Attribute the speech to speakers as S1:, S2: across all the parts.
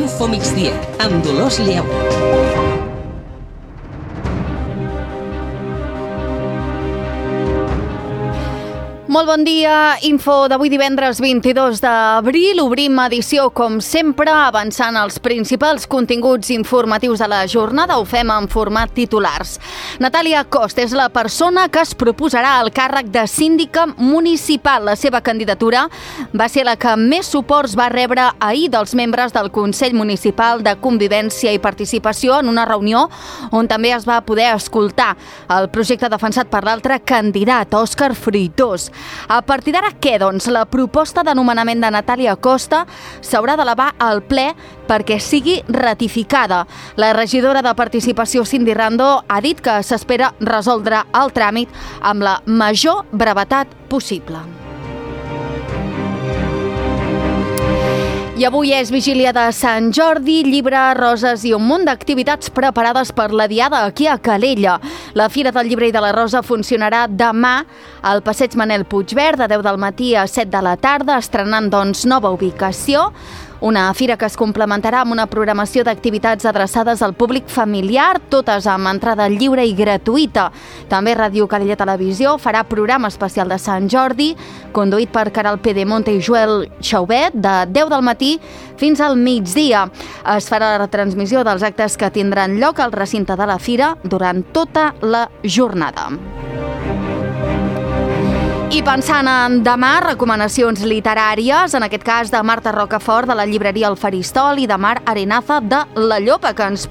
S1: Info Migdia, amb Dolors Lleu.
S2: Molt bon dia, info d'avui divendres 22 d'abril. Obrim edició, com sempre, avançant els principals continguts informatius de la jornada. Ho fem en format titulars. Natàlia Costa és la persona que es proposarà al càrrec de síndica municipal. La seva candidatura va ser la que més suports va rebre ahir dels membres del Consell Municipal de Convivència i Participació en una reunió on també es va poder escoltar el projecte defensat per l'altre candidat, Òscar Fruitós. A partir d'ara, què, doncs? La proposta de nomenament de Natàlia Costa s'haurà d'elevar al ple perquè sigui ratificada. La regidora de Participació, Cindy Rando, ha dit que s'espera resoldre el tràmit amb la major brevetat possible. I avui és vigília de Sant Jordi, llibre, roses i un munt d'activitats preparades per la Diada aquí a Calella. La Fira del Llibre i de la Rosa funcionarà demà al Passeig Manel Puigverd de 10 del matí a 7 de la tarda, estrenant doncs nova ubicació. Una fira que es complementarà amb una programació d'activitats adreçades al públic familiar, totes amb entrada lliure i gratuïta. També Ràdio Calella Televisió farà programa especial de Sant Jordi, conduït per Caral Pedemonte i Joel Xaubet, de 10 del matí fins al migdia. Es farà la retransmissió dels actes que tindran lloc al recinte de la fira durant tota la jornada. I pensant en demà, recomanacions literàries, en aquest cas de Marta Rocafort, de la llibreria El Faristol, i de Mar Arenaza, de La Llopa, que ens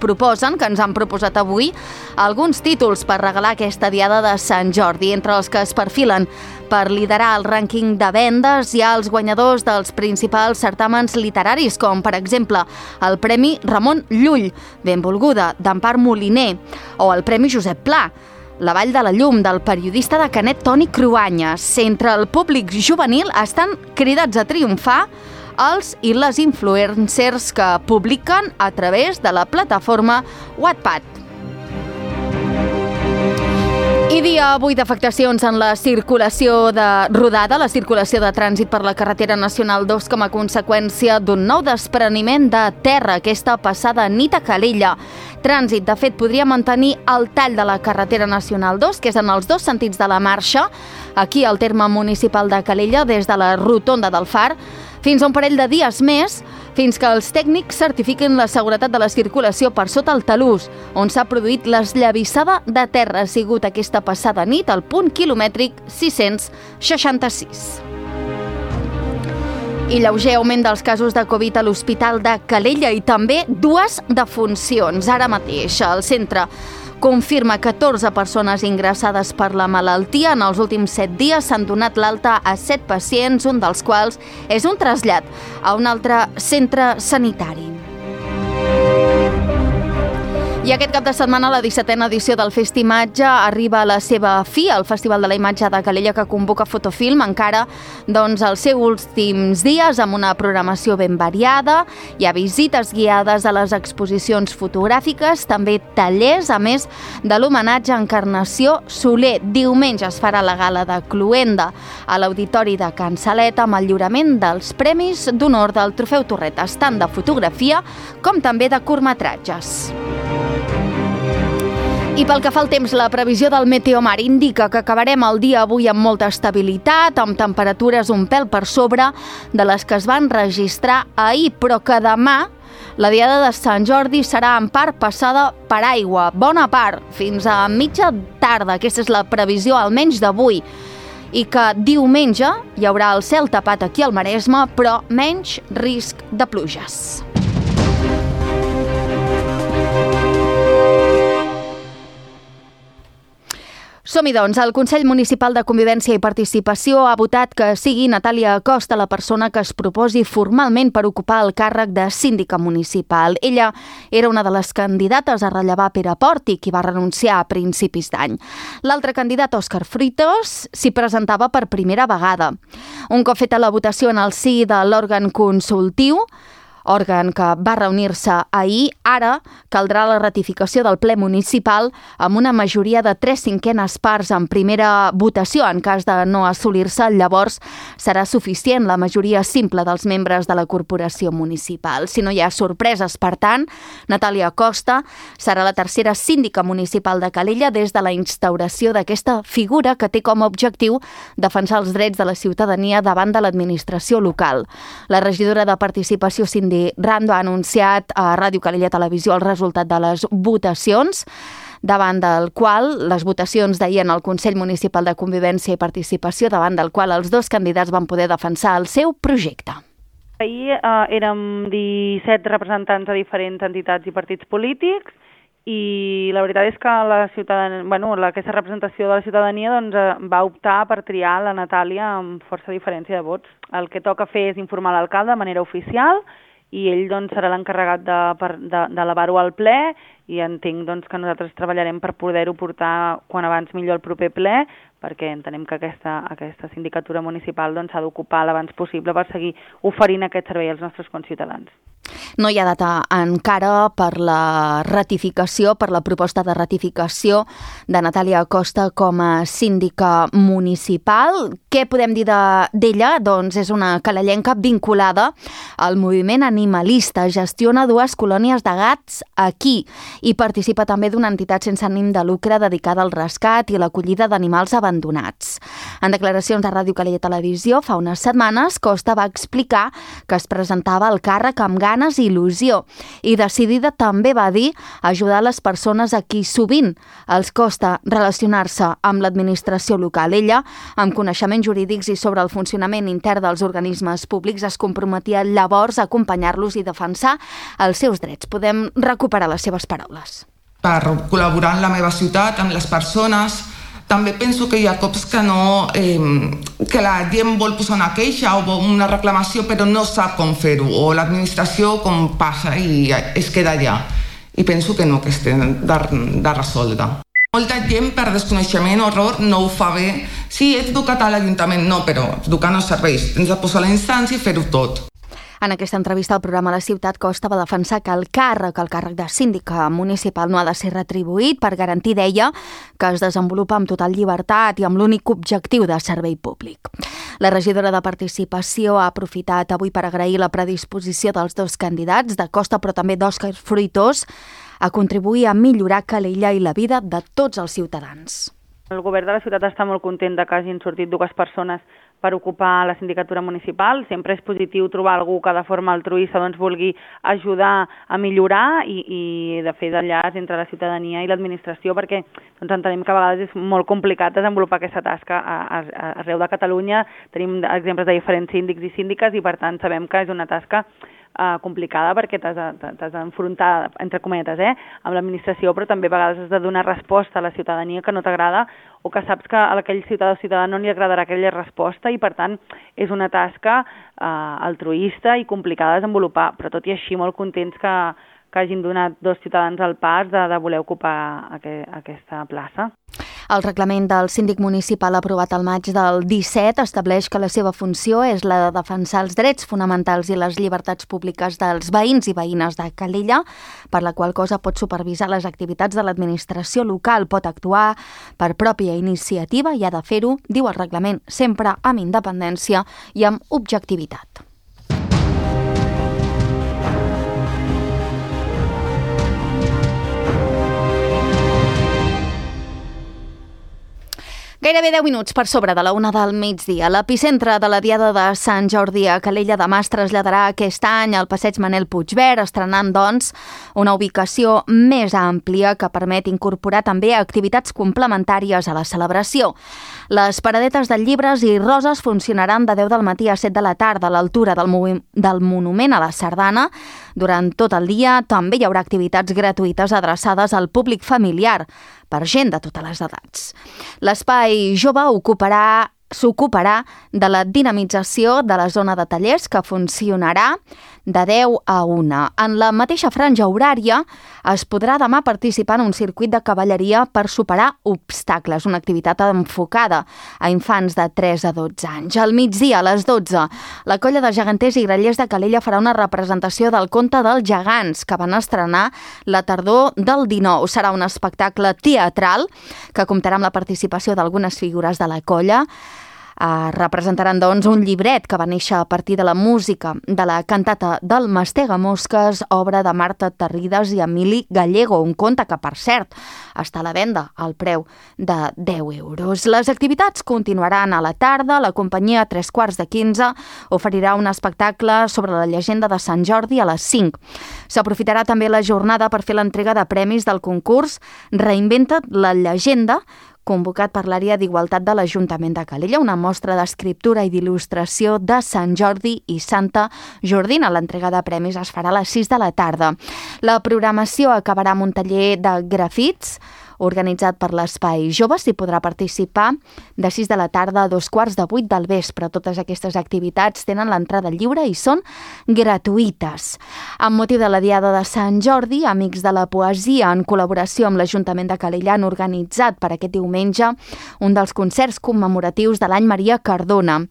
S2: han proposat avui alguns títols per regalar aquesta diada de Sant Jordi. Entre els que es perfilen per liderar el rànquing de vendes hi ha els guanyadors dels principals certàmens literaris, com per exemple el Premi Ramon Llull, Benvolguda, d'Empar Moliner, o el Premi Josep Pla, La Vall de la Llum, del periodista de Canet Toni Cruanyes. Entre el públic juvenil estan cridats a triomfar els i les influencers que publiquen a través de la plataforma Wattpad. I dia avui d'afectacions en la circulació de rodada, la circulació de trànsit per la carretera nacional 2 com a conseqüència d'un nou despreniment de terra aquesta passada nit a Calella. Trànsit, de fet, podria mantenir el tall de la carretera nacional 2, que és en els dos sentits de la marxa, aquí al terme municipal de Calella, des de la rotonda del Far, fins a un parell de dies més, fins que els tècnics certifiquin la seguretat de la circulació per sota el talús, on s'ha produït l'esllavissada de terra. Ha sigut aquesta passada nit al punt quilomètric 666. I lleuger augment dels casos de Covid a l'Hospital de Calella i també dues defuncions. Ara mateix el centre confirma 14 persones ingressades per la malaltia. En els últims 7 dies s'han donat l'alta a 7 pacients, un dels quals és un trasllat a un altre centre sanitari. I aquest cap de setmana la 17a edició del Festimatge arriba a la seva fi. El Festival de la Imatge de Calella, que convoca Fotofilm, encara els seus últims dies amb una programació ben variada. Hi ha visites guiades a les exposicions fotogràfiques, també tallers, a més de l'homenatge a Encarnació Soler. Diumenge es farà la gala de Cluenda a l'Auditori de Can Saleta amb el lliurament dels Premis d'Honor del Trofeu Torretes, tant de fotografia com també de curtmetratges. I pel que fa al temps, la previsió del Meteomar indica que acabarem el dia avui amb molta estabilitat, amb temperatures un pèl per sobre de les que es van registrar ahir, però que demà la diada de Sant Jordi serà en part passada per aigua, bona part, fins a mitja tarda. Aquesta és la previsió, almenys d'avui. I que diumenge hi haurà el cel tapat aquí al Maresme, però menys risc de pluges. Som-hi, doncs. El Consell Municipal de Convivència i Participació ha votat que sigui Natàlia Costa la persona que es proposi formalment per ocupar el càrrec de síndica municipal. Ella era una de les candidates a rellevar Pere Porti, qui va renunciar a principis d'any. L'altre candidat, Òscar Fruitós, s'hi presentava per primera vegada. Un cop feta la votació en el si de l'òrgan consultiu, òrgan que va reunir-se ahir. Ara caldrà la ratificació del ple municipal amb una majoria de 3/5 parts en primera votació. En cas de no assolir-se, llavors serà suficient la majoria simple dels membres de la corporació municipal. Si no hi ha sorpreses, per tant, Natàlia Costa serà la tercera síndica municipal de Calella des de la instauració d'aquesta figura que té com a objectiu defensar els drets de la ciutadania davant de l'administració local. La regidora de Participació, Cindy Rando, ha anunciat a Ràdio Calella Televisió el resultat de les votacions, davant del qual les votacions d'ahir en el Consell Municipal de Convivència i Participació, davant del qual els dos candidats van poder defensar el seu projecte.
S3: Ahir érem 17 representants de diferents entitats i partits polítics i la veritat és que aquesta representació de la ciutadania va optar per triar la Natàlia amb força diferència de vots. El que toca fer és informar l'alcalde de manera oficial i ell serà l'encarregat d'elevar-ho al ple i entenc que nosaltres treballarem per poder-ho portar quan abans millor al proper ple, perquè entenem que aquesta sindicatura municipal s'ha d'ocupar l'abans possible per seguir oferint aquest servei als nostres conciutadans.
S2: No hi ha data encara per la ratificació, per la proposta de ratificació de Natàlia Costa com a síndica municipal. Què podem dir d'ella? Doncs és una calellenca vinculada al moviment animalista, gestiona 2 colònies de gats aquí i participa també d'una entitat sense ànim de lucre dedicada al rescat i l'acollida d'animals abandonats. En declaracions a Ràdio Calella Televisió, fa unes setmanes, Costa va explicar que es presentava al càrrec amb ganes i il·lusió i decidida també va dir ajudar les persones a qui sovint els costa relacionar-se amb l'administració local. Ella, amb coneixements jurídics i sobre el funcionament intern dels organismes públics, es comprometia llavors a acompanyar-los i defensar els seus drets. Podem recuperar les seves paraules.
S4: Per col·laborar en la meva ciutat, amb les persones, també penso que hi ha cops que la gent vol posar una queixa o una reclamació però no sap com fer-ho, o l'administració com passa i es queda allà. I penso que no, que es té de resoldre. Molta gent per desconeixement o error no ho fa bé. Sí, ets educat a l'Ajuntament, no, però educar no serveix. Tens de posar la instància i fer-ho tot.
S2: En aquesta entrevista al programa La Ciutat, Costa va defensar que el càrrec de síndica municipal no ha de ser retribuït per garantir, deia, que es desenvolupa amb total llibertat i amb l'únic objectiu de servei públic. La regidora de Participació ha aprofitat avui per agrair la predisposició dels dos candidats, de Costa però també d'Òscar Fruitós, a contribuir a millorar Calella i la vida de tots els ciutadans.
S3: El govern de la ciutat està molt content que hagin sortit 2 persones per ocupar la sindicatura municipal. Sempre és positiu trobar algú que de forma altruista vulgui ajudar a millorar i de fer d'enllaç entre la ciutadania i l'administració, perquè entenem que a vegades és molt complicat desenvolupar aquesta tasca arreu de Catalunya. Tenim exemples de diferents síndics i síndiques i per tant sabem que és una tasca complicada perquè t'has d'enfrontar, entre cometes, amb l'administració, però també a vegades has de donar resposta a la ciutadania que no t'agrada o que saps que a aquell ciutadà o ciutadà no li agradarà aquella resposta i per tant és una tasca altruista i complicada de desenvolupar, però tot i així molt contents que hagin donat 2 ciutadans el pas de voler ocupar aquesta plaça.
S2: El reglament del síndic municipal aprovat al maig del 17 estableix que la seva funció és la de defensar els drets fonamentals i les llibertats públiques dels veïns i veïnes de Calella, per la qual cosa pot supervisar les activitats de l'administració local, pot actuar per pròpia iniciativa i ha de fer-ho, diu el reglament, sempre amb independència i amb objectivitat. Gairebé 10 minuts per sobre de la 1 del migdia. L'epicentre de la Diada de Sant Jordi a Calella de Mas traslladarà aquest any al passeig Manel Puigvert, estrenant, doncs, una ubicació més àmplia que permet incorporar també activitats complementàries a la celebració. Les paradetes de llibres i roses funcionaran de 10 del matí a 7 de la tarda a l'altura del Monument a la Sardana. Durant tot el dia també hi haurà activitats gratuïtes adreçades al públic familiar, per gent de totes les edats. L'espai jove ocuparà s'ocuparà de la dinamització de la zona de tallers que funcionarà de 10 a 1. En la mateixa franja horària es podrà demà participar en un circuit de cavalleria per superar obstacles, una activitat enfocada a infants de 3 a 12 anys. Al migdia, a les 12, la colla de geganters i grallers de Calella farà una representació del conte dels gegants que van estrenar la tardor del 19. Serà un espectacle teatral que comptarà amb la participació d'algunes figures de la colla. Representaran, doncs, un llibret que va néixer a partir de la música de la cantata del Mastegamosques, obra de Marta Terrides i Emili Gallego, un conte que, per cert, està a la venda al preu de 10 euros. Les activitats continuaran a la tarda. La companyia 15:15 oferirà un espectacle sobre la llegenda de Sant Jordi a les 5. S'aprofitarà també la jornada per fer l'entrega de premis del concurs Reinventa't la llegenda, convocat per l'àrea d'Igualtat de l'Ajuntament de Calella, una mostra d'escriptura i d'il·lustració de Sant Jordi i Santa Jordina. L'entrega de premis es farà a les 6 de la tarda. La programació acabarà amb un taller de grafits organitzat per l'Espai Jove. S'hi podrà participar de 6 de la tarda a 7:15 del vespre. Totes aquestes activitats tenen l'entrada lliure i són gratuïtes. Amb motiu de la Diada de Sant Jordi, Amics de la Poesia, en col·laboració amb l'Ajuntament de Calella, han organitzat per aquest diumenge un dels concerts commemoratius de l'any Maria Cardona.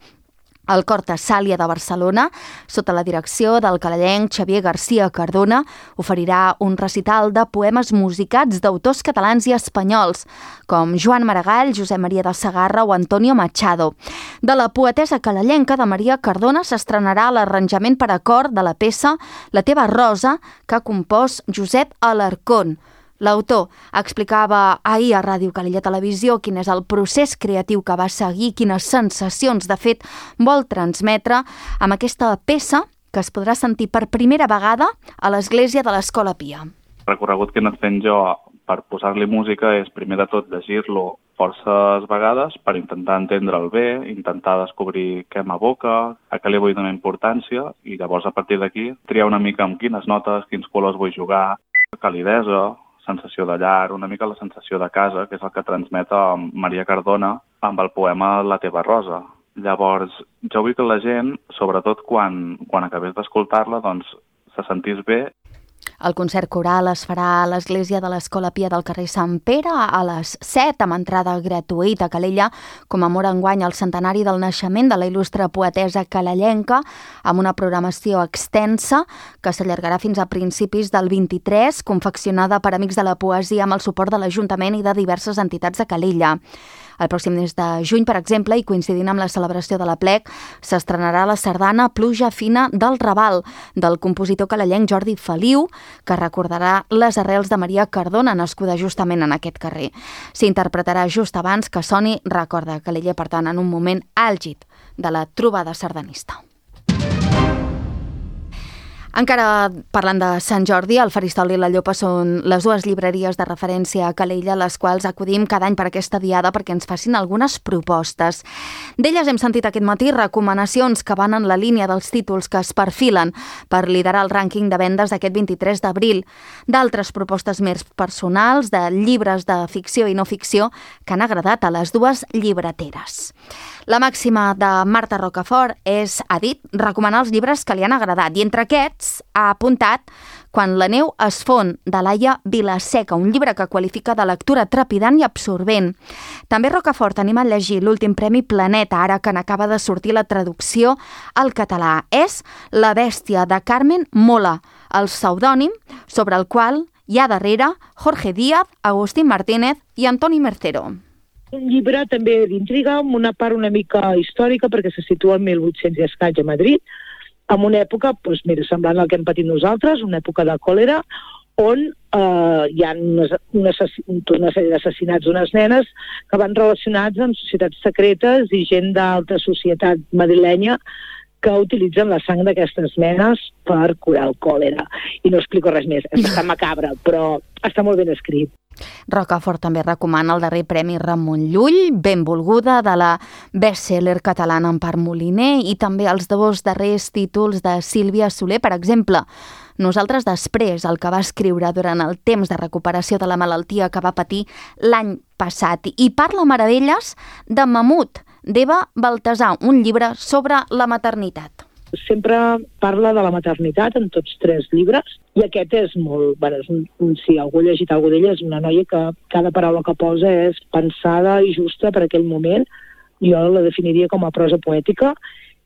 S2: El Cor Tessàlia de Barcelona, sota la direcció del calellenc Xavier García Cardona, oferirà un recital de poemes musicats d'autors catalans i espanyols, com Joan Maragall, Josep Maria de Segarra o Antonio Machado. De la poetessa calellenca de Maria Cardona s'estrenarà l'arranjament per a cor de la peça La teva rosa, que ha compost Josep Alarcón. L'autor explicava ahir a Ràdio Calella Televisió quin és el procés creatiu que va seguir, quines sensacions, de fet, vol transmetre amb aquesta peça que es podrà sentir per primera vegada a l'església de l'Escola Pia.
S5: El recorregut que he anat fent jo per posar-li música és, primer de tot, llegir-lo forces vegades per intentar entendre'l bé, intentar descobrir què m'evoca, a què li vull donar importància, i llavors, a partir d'aquí, triar una mica amb quines notes, quins colors vull jugar, calidesa, sensació de llar, una mica la sensació de casa, que és el que transmet Maria Cardona amb el poema La teva rosa. Llavors, jo vull que la gent, sobretot quan acabés d'escoltar-la, doncs se sentís bé.
S2: El concert coral es farà a l'església de l'Escola Pia del carrer Sant Pere a les 7, amb entrada gratuïta. A Calella commemora enguany el centenari del naixement de la il·lustre poetessa calellenca, amb una programació extensa que s'allargarà fins a principis del 23, confeccionada per Amics de la Poesia amb el suport de l'Ajuntament i de diverses entitats de Calella. El pròxim mes de juny, per exemple, i coincidint amb la celebració de l'Aplec, s'estrenarà la sardana Pluja fina del Raval, del compositor calellenc Jordi Feliu, que recordarà les arrels de Maria Cardona, nascuda justament en aquest carrer. S'interpretarà just abans que soni Recorda Calella, per tant, en un moment àlgid de la trobada sardanista. Encara parlant de Sant Jordi, el Faristol i la Llopa són les dues llibreries de referència a Calella, a les quals acudim cada any per aquesta diada perquè ens facin algunes propostes. D'elles hem sentit aquest matí recomanacions que van en la línia dels títols que es perfilen per liderar el rànquing de vendes d'aquest 23 d'abril. D'altres propostes més personals, de llibres de ficció i no ficció, que han agradat a les dues llibreteres. La màxima de Marta Rocafort és, ha dit, recomanar els llibres que li han agradat, i entre aquests ha apuntat Quan la neu es fon, de Laia Vilaseca, un llibre que qualifica de lectura trepidant i absorbent. També Rocafort anima a llegir l'últim Premi Planeta, ara que n'acaba de sortir la traducció al català. És La bèstia, de Carmen Mola, el pseudònim sobre el qual hi ha darrere Jorge Díaz, Agustín Martínez i Antoni Mercero.
S6: Un llibre també d'intriga, amb una part una mica històrica, perquè se situa al 1800 i escaig a Madrid, en una època, doncs, mira, semblant al que hem patit nosaltres, una època de còlera, on hi ha una sèrie d'assassinats d'unes nenes que van relacionats amb societats secretes i gent d'alta societat madrilenya que utilitzen la sang d'aquestes nenes per curar el còlera. I no explico res més, és bastant macabre, però està molt ben escrit.
S2: Rocafort també recomana el darrer Premi Ramon Llull, Benvolguda, de la best-seller catalana Empar Moliner, i també els dos darrers títols de Sílvia Soler, per exemple, Nosaltres després, el que va escriure durant el temps de recuperació de la malaltia que va patir l'any passat, i parla meravelles de Mamut, d'Eva Baltasar, un llibre sobre la maternitat.
S6: Sempre parla de la maternitat en tots 3 llibres, i aquest és molt... Bueno, si algú ha llegit alguna d'ella, és una noia que cada paraula que posa és pensada i justa per aquell moment. Jo la definiria com a prosa poètica,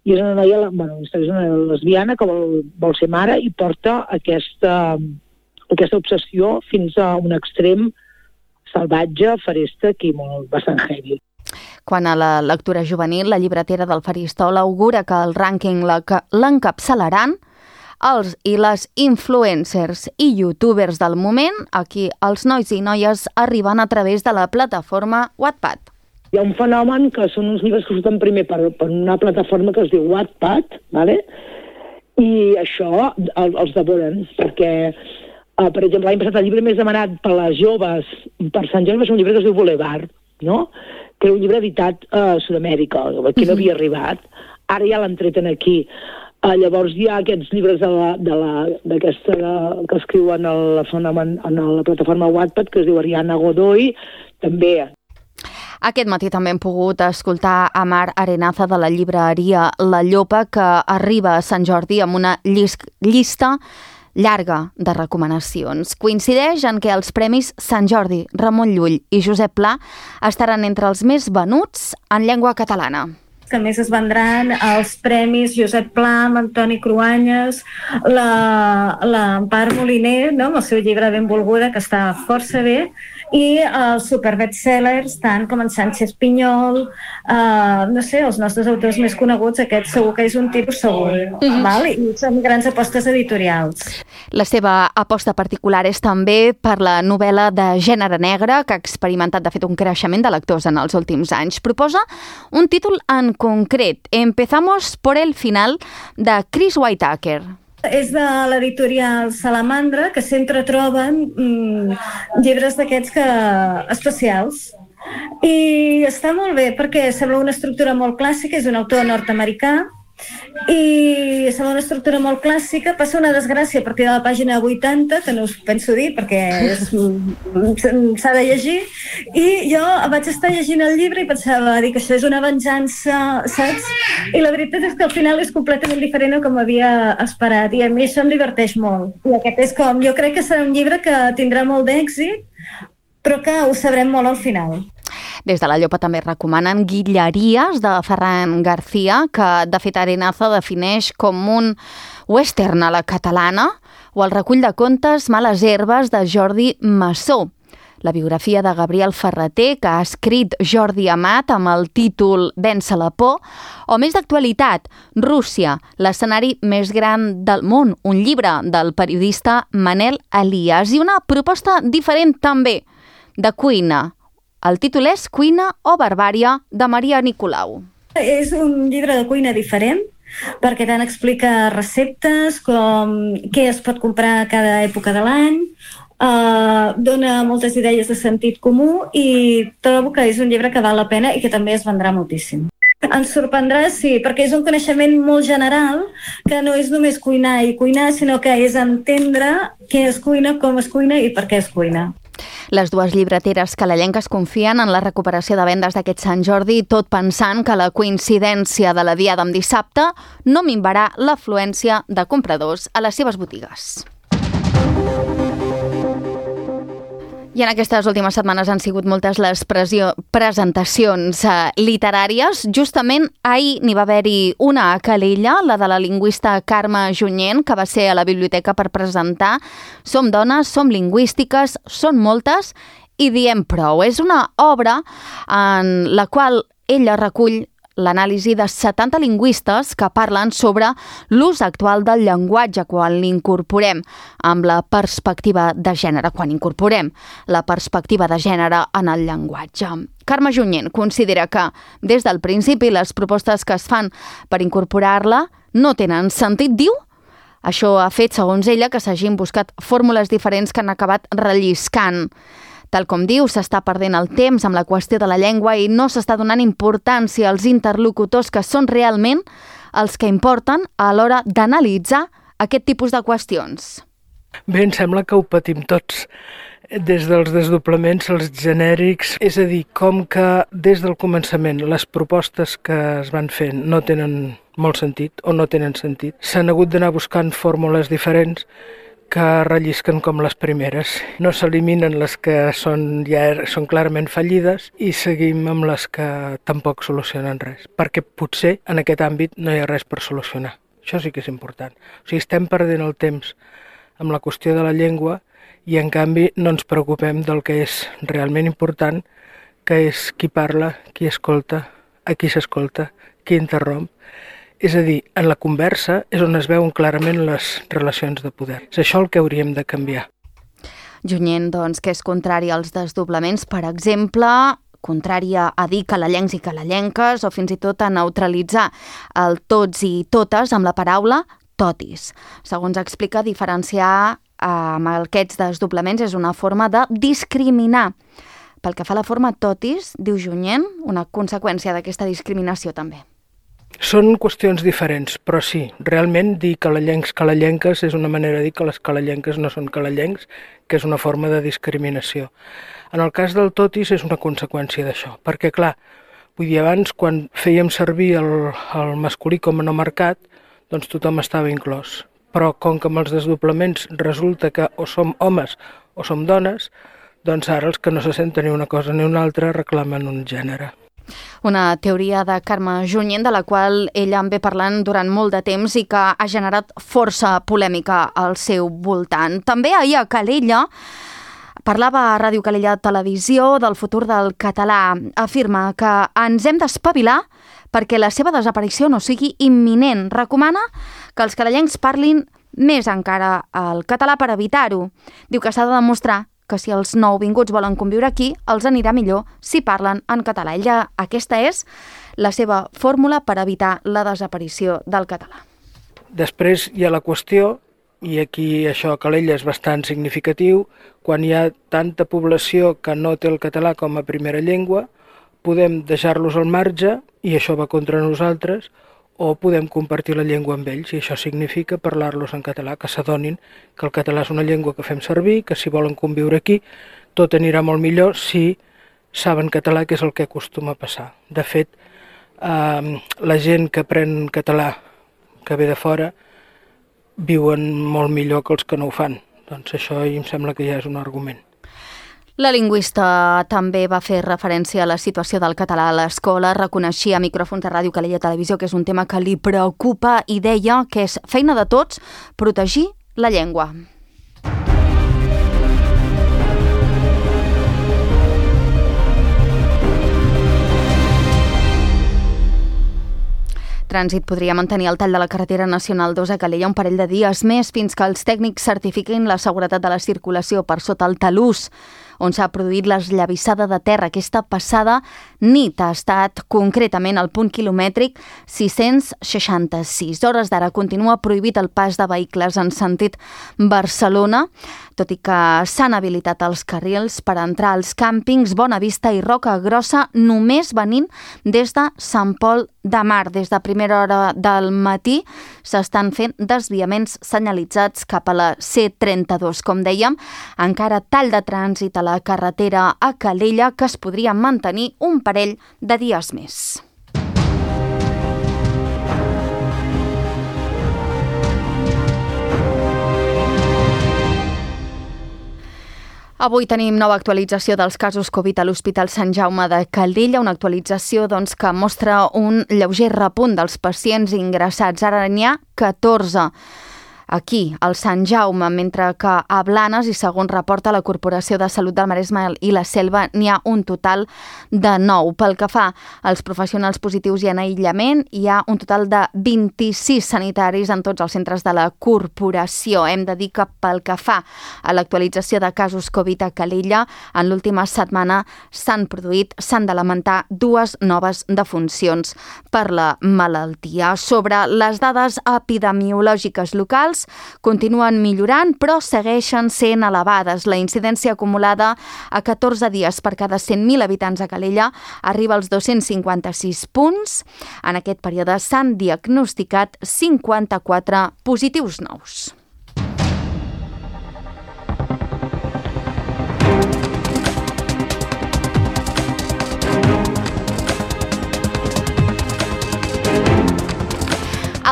S6: i és una noia, és una lesbiana que vol ser mare i porta aquesta obsessió fins a un extrem salvatge, feresta, i bastant heavy.
S2: Quant a la lectura juvenil, la llibretera del Faristol augura que el rànquing l'encapçalaran els i les influencers i youtubers del moment, aquí els nois i noies arriben a través de la plataforma Wattpad.
S6: Hi ha un fenomen que són uns llibres que surten primer per una plataforma que es diu Wattpad, ¿vale? I això els devoren, perquè, per exemple, l'any passat el llibre més demanat per les joves per Sant Jordi és un llibre que es diu Boulevard, no? Que era un llibre editat a Sud-amèrica, que no havia arribat. Ara ja l'han tret aquí. Llavors hi ha aquests llibres que escriuen en la plataforma Wattpad, que es diu Ariana Godoy, també.
S2: Aquest matí també hem pogut escoltar a Mar Arenaza de la llibreria La Llopa, que arriba a Sant Jordi amb una llista llarga de recomanacions. Coincideix en que els premis Sant Jordi, Ramon Llull i Josep Pla estaran entre els més venuts en llengua catalana.
S7: Que més es vendran els premis Josep Pla, amb Antoni Cruanyes, l'Empar Moliner, no? Amb el seu llibre Benvolguda, que està força bé, i els superbestsellers, tant com en Sánchez Pinyol, no sé, els nostres autors més coneguts, aquest segur que és un tipus segur, val? I són grans apostes editorials.
S2: La seva aposta particular és també per la novel·la de gènere negre, que ha experimentat, de fet, un creixement de lectors en els últims anys. Proposa un títol en concret, Empezamos por el final, de Chris Whitaker.
S7: És de l'editorial Salamandra, que sempre troben llibres d'aquests especials. I està molt bé, perquè sembla una estructura molt clàssica, és un autor nord-americà, i sembla una estructura molt clàssica. Passa una desgràcia a partir de la pàgina 80, que no us penso dir perquè s'ha de llegir, i jo vaig estar llegint el llibre i pensava que això és una venjança, saps? I la veritat és que al final és completament diferent a com havia esperat, i a mi això em diverteix molt. I aquest és com, jo crec que serà un llibre que tindrà molt d'èxit, però que ho sabrem molt al final.
S2: Des de la Llopa també recomanen Guilleries, de Ferran García, que de fet Arenaza defineix com un western a la catalana, o el recull de contes Males herbes, de Jordi Massó. La biografia de Gabriel Ferreter, que ha escrit Jordi Amat amb el títol Vèncer la por, o més d'actualitat, Rússia, l'escenari més gran del món, un llibre del periodista Manel Elias, i una proposta diferent també, de cuina. El títol és Cuina o barbària, de Maria Nicolau.
S7: És un llibre de cuina diferent, perquè tant explica receptes com què es pot comprar a cada època de l'any, dona moltes idees de sentit comú, i trobo que és un llibre que val la pena i que també es vendrà moltíssim. Ens sorprendrà, sí, perquè és un coneixement molt general, que no és només cuinar i cuinar, sinó que és entendre què es cuina, com es cuina i per què es cuina.
S2: Les dues llibreteres calalenques confien en la recuperació de vendes d'aquest Sant Jordi, tot pensant que la coincidència de la diada amb dissabte no minvarà l'afluència de compradors a les seves botigues. I en aquestes últimes setmanes han sigut moltes les presentacions literàries. Justament ahir n'hi va haver-hi una a Calella, la de la lingüista Carme Junyent, que va ser a la biblioteca per presentar Som dones, som lingüístiques, són moltes i diem prou. És una obra en la qual ella recull l'anàlisi de 70 lingüistes que parlen sobre l'ús actual del llenguatge quan l'incorporem amb la perspectiva de gènere, quan incorporem la perspectiva de gènere en el llenguatge. Carme Junyent considera que, des del principi, les propostes que es fan per incorporar-la no tenen sentit, diu. Això ha fet, segons ella, que s'hagin buscat fórmules diferents que han acabat relliscant. Tal com diu, s'està perdent el temps amb la qüestió de la llengua i no s'està donant importància als interlocutors que són realment els que importen a l'hora d'analitzar aquest tipus de qüestions.
S8: Bé, em sembla que ho patim tots, des dels desdoblaments, els genèrics, és a dir, com que des del començament les propostes que es van fent no tenen molt sentit o no tenen sentit, s'han hagut d'anar buscant fórmules diferents que rellisquen com les primeres. No s'eliminen les que són clarament fallides i seguim amb les que tampoc solucionen res, perquè potser en aquest àmbit no hi ha res per solucionar. Això sí que és important. O sigui, estem perdent el temps amb la qüestió de la llengua i en canvi no ens preocupem del que és realment important, que és qui parla, qui escolta, a qui s'escolta, qui interromp. És a dir, en la conversa és on es veuen clarament les relacions de poder. És això el que hauríem de canviar.
S2: Junyent, doncs, que és contrari als desdoblaments, per exemple, contrària a dir calellencs i calellenques o fins i tot a neutralitzar el tots i totes amb la paraula totis. Segons explica, diferenciar amb aquests desdoblaments és una forma de discriminar. Pel que fa a la forma totis, diu Junyent, una conseqüència d'aquesta discriminació també.
S8: Són qüestions diferents, però sí, realment dir calellencs, calellenques és una manera de dir que les calellenques no són calellencs, que és una forma de discriminació. En el cas del totis és una conseqüència d'això, perquè clar, vull dir, abans quan fèiem servir el masculí com a no marcat, doncs tothom estava inclòs. Però com que amb els desdoblaments resulta que o som homes o som dones, doncs ara els que no se senten ni una cosa ni una altra reclamen un gènere.
S2: Una teoria de Carme Junyent, de la qual ella en ve parlant durant molt de temps i que ha generat força polèmica al seu voltant. També ahir a Calella parlava a Ràdio Calella Televisió del futur del català. Afirma que ens hem d'espavilar perquè la seva desaparició no sigui imminent. Recomana que els calellencs parlin més encara el català per evitar-ho. Diu que s'ha de demostrar que si els nouvinguts volen conviure aquí, els anirà millor si parlen en català. Aquesta és la seva fórmula per evitar la desaparició del català.
S8: Després hi ha la qüestió, i aquí això a Calella és bastant significatiu, quan hi ha tanta població que no té el català com a primera llengua, podem deixar-los al marge, i això va contra nosaltres, o podem compartir la llengua amb ells, i això significa parlar-los en català, que s'adonin que el català és una llengua que fem servir, que si volen conviure aquí, tot anirà molt millor si saben català, que és el que acostuma a passar. De fet, la gent que aprèn català, que ve de fora, viuen molt millor que els que no ho fan. Doncs això em sembla que ja és un argument.
S2: La lingüista també va fer referència a la situació del català a l'escola, reconeixia a micròfons de Ràdio Calella Televisió que és un tema que li preocupa i deia que és feina de tots protegir la llengua. Trànsit podria mantenir el tall de la carretera nacional 2 a Calella un parell de dies més fins que els tècnics certifiquin la seguretat de la circulació per sota el talús, on s'ha produït l'esllavissada de terra. Aquesta passada nit ha estat concretament al punt quilomètric 666. Hores d'ara continua prohibit el pas de vehicles en sentit Barcelona, tot i que s'han habilitat els carrils per entrar als càmpings Bonavista i Roca Grossa només venint des de Sant Pol de Mar. Des de primera hora del matí s'estan fent desviaments senyalitzats cap a la C32. Com dèiem, encara tall de trànsit a la carretera a Calella que es podria mantenir un parell de dies més. Avui tenim nova actualització dels casos Covid a l'Hospital Sant Jaume de Calella, una actualització que mostra un lleuger repunt dels pacients ingressats. Ara n'hi ha 14 aquí, al Sant Jaume, mentre que a Blanes, i segons reporta la Corporació de Salut del Maresme i la Selva, n'hi ha un total de 9. Pel que fa als professionals positius i en aïllament, hi ha un total de 26 sanitaris en tots els centres de la corporació. Hem de dir que pel que fa a l'actualització de casos Covid a Calella, en l'última setmana s'han de lamentar 2 noves defuncions per la malaltia. Sobre les dades epidemiològiques locals, continuen millorant, però segueixen sent elevades. La incidència acumulada a 14 dies per cada 100.000 habitants a Calella arriba als 256 punts. En aquest període s'han diagnosticat 54 positius nous.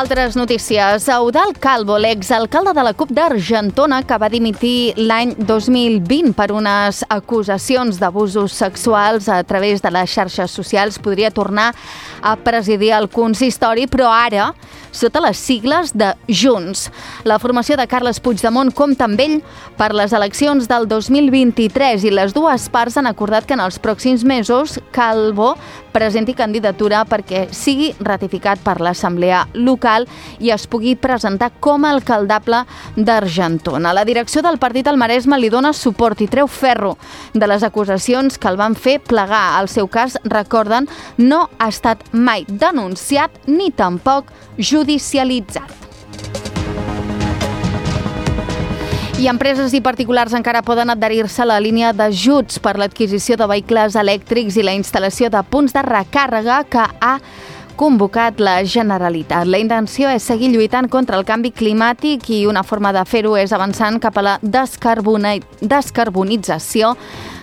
S2: Altres notícies. Eudald Calvo, l'exalcalde de la CUP d'Argentona, que va dimitir l'any 2020 per unes acusacions d'abusos sexuals a través de les xarxes socials, podria tornar a presidir el consistori, però ara sota les sigles de Junts. La formació de Carles Puigdemont compta amb ell per les eleccions del 2023 i les dues parts han acordat que en els pròxims mesos Calvo presenti candidatura perquè sigui ratificat per l'Assemblea local i es pugui presentar com a alcaldable d'Argentona. La direcció del partit al Maresme li dona suport i treu ferro de les acusacions que el van fer plegar. El seu cas, recorden, no ha estat mai denunciat ni tampoc judicialitzat. I empreses i particulars encara poden adherir-se a la línia d'ajuts per l'adquisició de vehicles elèctrics i la instal·lació de punts de recàrrega que ha convocat la Generalitat. La intenció és seguir lluitant contra el canvi climàtic i una forma de fer-ho és avançant cap a la descarbonització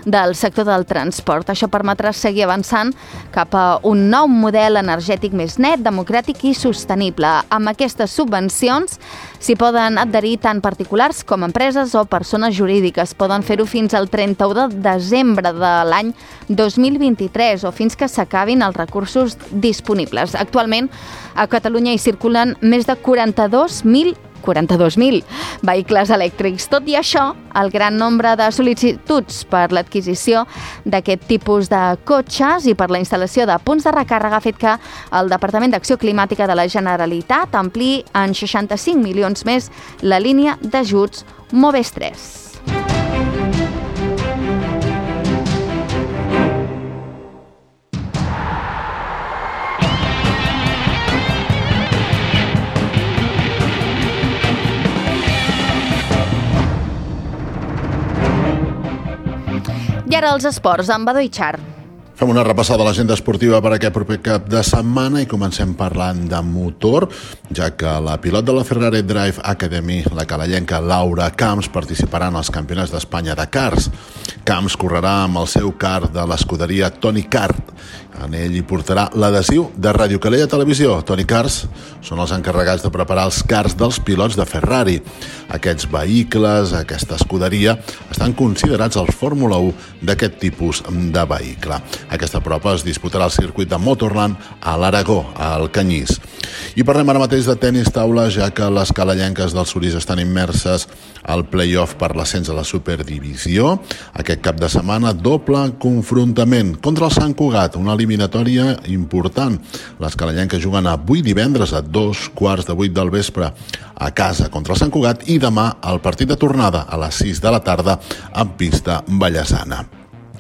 S2: del sector del transport. Això permetrà seguir avançant cap a un nou model energètic més net, democràtic i sostenible. Amb aquestes subvencions s'hi poden adherir tant particulars com empreses o persones jurídiques. Poden fer-ho fins al 31 de desembre de l'any 2023 o fins que s'acabin els recursos disponibles. Actualment, a Catalunya hi circulen més de 42.000 vehicles elèctrics. Tot i això, el gran nombre de sol·licituds per l'adquisició d'aquest tipus de cotxes i per la instal·lació de punts de recàrrega ha fet que el Departament d'Acció Climàtica de la Generalitat ampliï en 65 milions més la línia d'ajuts Moves 3. I ara els esports, amb Badó i Char.
S9: Fem una repassada a l'agenda esportiva per aquest proper cap de setmana i comencem parlant de motor, ja que la pilot de la Ferrari Drive Academy, la calellenca Laura Camps, participarà en els campionats d'Espanya de karts. Camps correrà amb el seu kart de l'escuderia Tony Kart. En ell hi portarà l'adhesiu de Ràdio Calella Televisió. Tony Karts són els encarregats de preparar els karts dels pilots de Ferrari. Aquests vehicles, aquesta escuderia, estan considerats els Fórmula 1 d'aquest tipus de vehicle. Aquesta prova es disputarà al circuit de Motorland a l'Aragó, al Canyís. I parlem ara mateix de tenis taula, ja que les calellenques del Sorís estan immerses al play-off per l'ascens a la Superdivisió. Aquest cap de setmana, doble confrontament contra el Sant Cugat, una eliminatòria important. Les calellenques juguen avui divendres a 7:15 del vespre a casa contra el Sant Cugat i demà el partit de tornada a les 6 de la tarda en pista vallesana.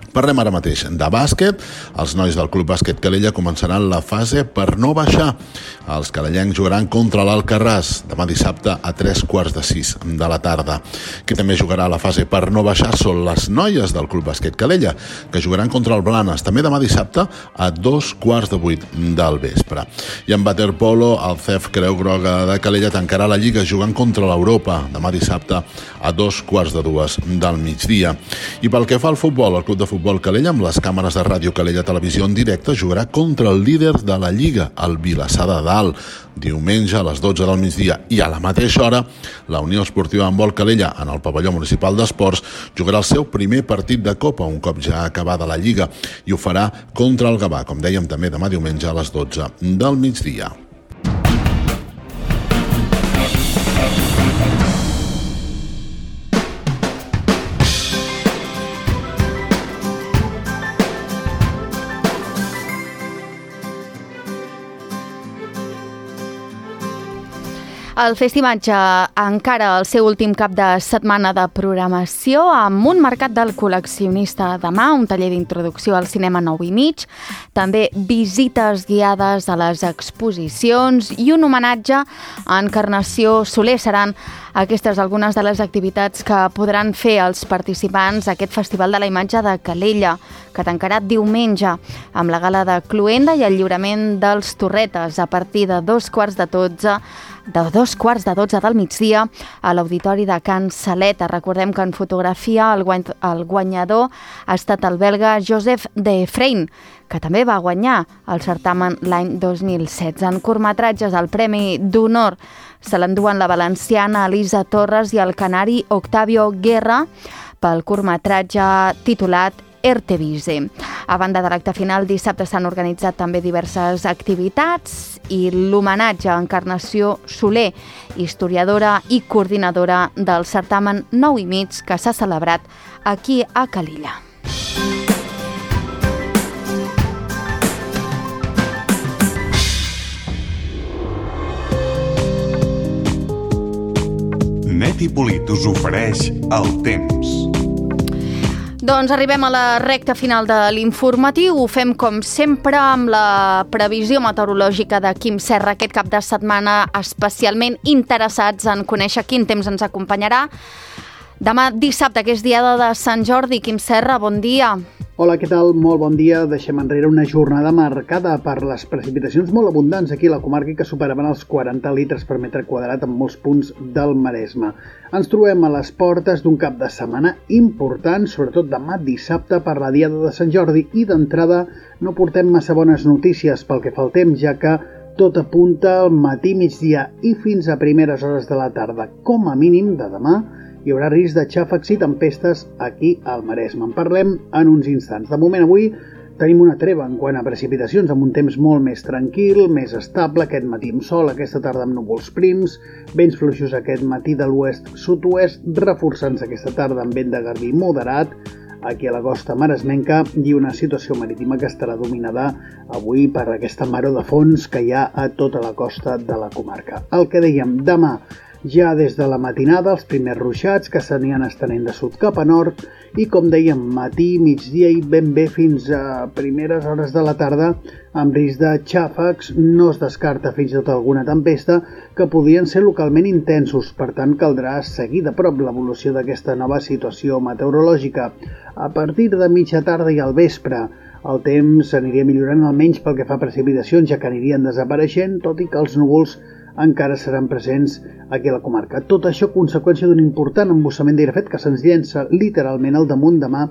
S9: Parlem ara mateix de bàsquet. Els nois del Club Bàsquet Calella començaran la fase per no baixar. Els calellencs jugaran contra l'Alcarràs demà dissabte a 5:45 de la tarda. Qui també jugarà a la fase per no baixar són les noies del Club Bàsquet Calella, que jugaran contra el Blanes també demà dissabte a 7:15 del vespre. I en waterpolo, el CEF Creu Groga de Calella tancarà la Lliga jugant contra l'Europa demà dissabte a 2:15 del migdia. I pel que fa al futbol, el Club de Futbol Calella, amb les càmeres de Ràdio Calella Televisió en directe, jugarà contra el líder de la Lliga, el Vilassar de Dalt. Diumenge a les 12 del migdia i a la mateixa hora, la Unió Esportiva Handbol Calella, en el pavelló municipal d'esports, jugarà el seu primer partit de Copa, un cop ja acabada la Lliga, i ho farà contra el Gavà, com dèiem també demà diumenge a les 12 del migdia.
S2: El Festimatge encara el seu últim cap de setmana de programació amb un mercat del col·leccionista demà, un taller d'introducció al cinema 9:30, també visites guiades a les exposicions i un homenatge a Encarnació Soler. Seran aquestes algunes de les activitats que podran fer els participants a aquest Festival de la Imatge de Calella, que tancarà diumenge amb la gala de Cluenda i el lliurament dels Torretes a partir de 2:15 del migdia a l'Auditori de Can Saleta. Recordem que en fotografia el guanyador ha estat el belga Joseph de Efrain, que també va guanyar el certamen l'any 2016. En curtmetratges, el Premi d'Honor se l'enduen la valenciana Elisa Torres i el canari Octavio Guerra pel curtmetratge titulat Ertevise. A banda de l'acte final, dissabte s'han organitzat també diverses activitats i l'homenatge a Encarnació Soler, historiadora i coordinadora del certamen 9 i mig que s'ha celebrat aquí a Calella.
S10: Net i Polit us ofereix el temps.
S2: Doncs arribem a la recta final de l'informatiu. Ho fem, com sempre, amb la previsió meteorològica de Quim Serra aquest cap de setmana, especialment interessats en conèixer quin temps ens acompanyarà. Demà dissabte, que és diada de Sant Jordi. Quim Serra, bon dia.
S11: Hola, què tal? Molt bon dia. Deixem enrere una jornada marcada per les precipitacions molt abundants aquí a la comarca que superaven els 40 litres per metre quadrat en molts punts del Maresme. Ens trobem a les portes d'un cap de setmana important, sobretot demà dissabte per la diada de Sant Jordi, i d'entrada no portem massa bones notícies pel que fa al temps, ja que tot apunta al matí, migdia i fins a primeres hores de la tarda. Com a mínim de demà hi haurà risc de xàfecs i tempestes aquí al Maresme. En parlem en uns instants. De moment, avui tenim una treva en quant a precipitacions, amb un temps molt més tranquil, més estable, aquest matí amb sol, aquesta tarda amb núvols prims, vents fluixos aquest matí de l'oest-sud-oest, reforçant-se aquesta tarda amb vent de garbí moderat, aquí a la costa maresmenca, i una situació marítima que estarà dominada avui per aquesta maror de fons que hi ha a tota la costa de la comarca. El que dèiem, demà, ja des de la matinada, els primers ruixats que s'aniran estenent de sud cap a nord i, com dèiem, matí, migdia i ben bé fins a primeres hores de la tarda, amb risc de xàfecs. No es descarta fins i tot alguna tempesta que podrien ser localment intensos. Per tant, caldrà seguir de prop l'evolució d'aquesta nova situació meteorològica. A partir de mitja tarda i al vespre, el temps s'aniria millorant almenys pel que fa a precipitacions, ja que anirien desapareixent, tot i que els núvols encara seran presents aquí a la comarca. Tot això conseqüència d'un important embussament d'aire fred que se'ns llença literalment al damunt demà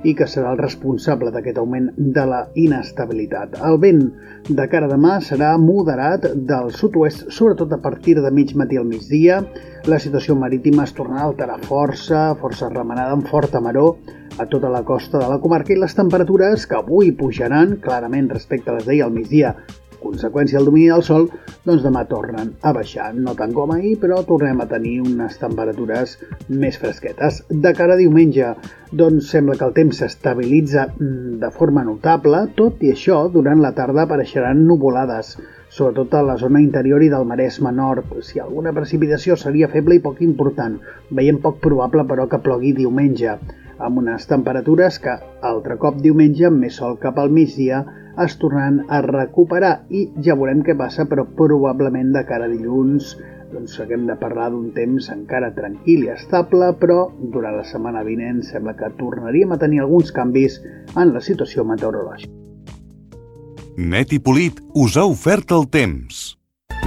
S11: i que serà el responsable d'aquest augment de la inestabilitat. El vent de cara a demà serà moderat del sud-oest, sobretot a partir de mig matí al migdia. La situació marítima es tornarà a alterar força remenada amb forta maror a tota la costa de la comarca, i les temperatures, que avui pujaran clarament respecte a les d'ahir al migdia, conseqüència del domini del sol, doncs demà tornen a baixar. No tant com ahir, però tornem a tenir unes temperatures més fresquetes. De cara a diumenge, doncs sembla que el temps s'estabilitza de forma notable. Tot i això, durant la tarda apareixeran nuvolades, sobretot a la zona interior i del Maresme nord. Si alguna precipitació seria feble i poc important. Veiem poc probable, però, que plogui diumenge, amb unes temperatures que, altre cop diumenge, amb més sol cap al migdia, es tornaran a recuperar, i ja veurem què passa, però probablement de cara a dilluns doncs haguem de parlar d'un temps encara tranquil i estable, però durant la setmana vinent sembla que tornaríem a tenir alguns canvis en la situació meteorològica.
S10: Net i Polit us ha ofert el temps.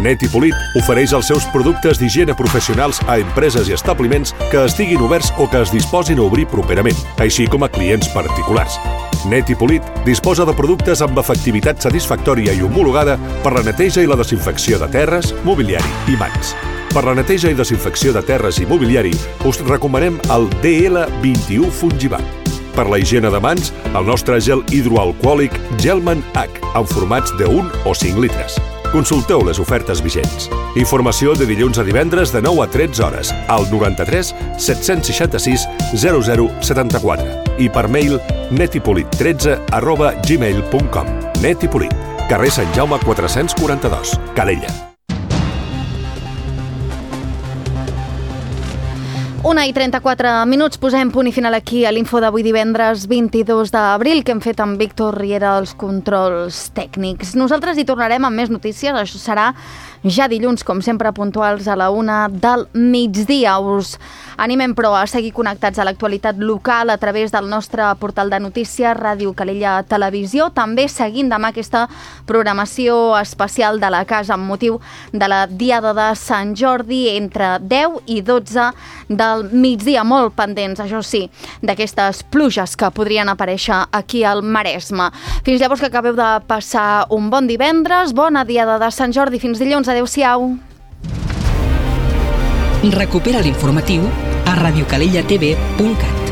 S12: Net i Polit ofereix els seus productes d'higiene professionals a empreses i establiments que estiguin oberts o que es disposin a obrir properament, així com a clients particulars. Net i Polit disposa de productes amb efectivitat satisfactòria i homologada per la neteja i la desinfecció de terres, mobiliari i mans. Per la neteja i desinfecció de terres i mobiliari us recomanem el DL21 Fungivac. Per la higiene de mans, el nostre gel hidroalcohòlic Gelman H, en formats de 1 o 5 litres. Consulteu les ofertes vigents. Informació de dilluns a divendres de 9 a 13 hores al 93 766 0074 i per mail netipolit13@gmail.com. Net i Polit, carrer Sant Jaume 442, Calella.
S2: 1:34, posem punt i final aquí a l'info d'avui divendres 22 d'abril, que hem fet amb Víctor Riera als controls tècnics. Nosaltres hi tornarem amb més notícies, això serà ja dilluns, com sempre, puntuals a la 1 del migdia. Us animem, però, a seguir connectats a l'actualitat local a través del nostre portal de notícies Ràdio Calella Televisió, també seguint demà aquesta programació especial de la casa amb motiu de la Diada de Sant Jordi entre 10 i 12 del migdia, molt pendents, això sí, d'aquestes pluges que podrien aparèixer aquí al Maresme. Fins llavors, que acabeu de passar un bon divendres, bona Diada de Sant Jordi, fins dilluns, adeu-siau.
S1: Recupera l'informatiu a radiocalellatv.cat.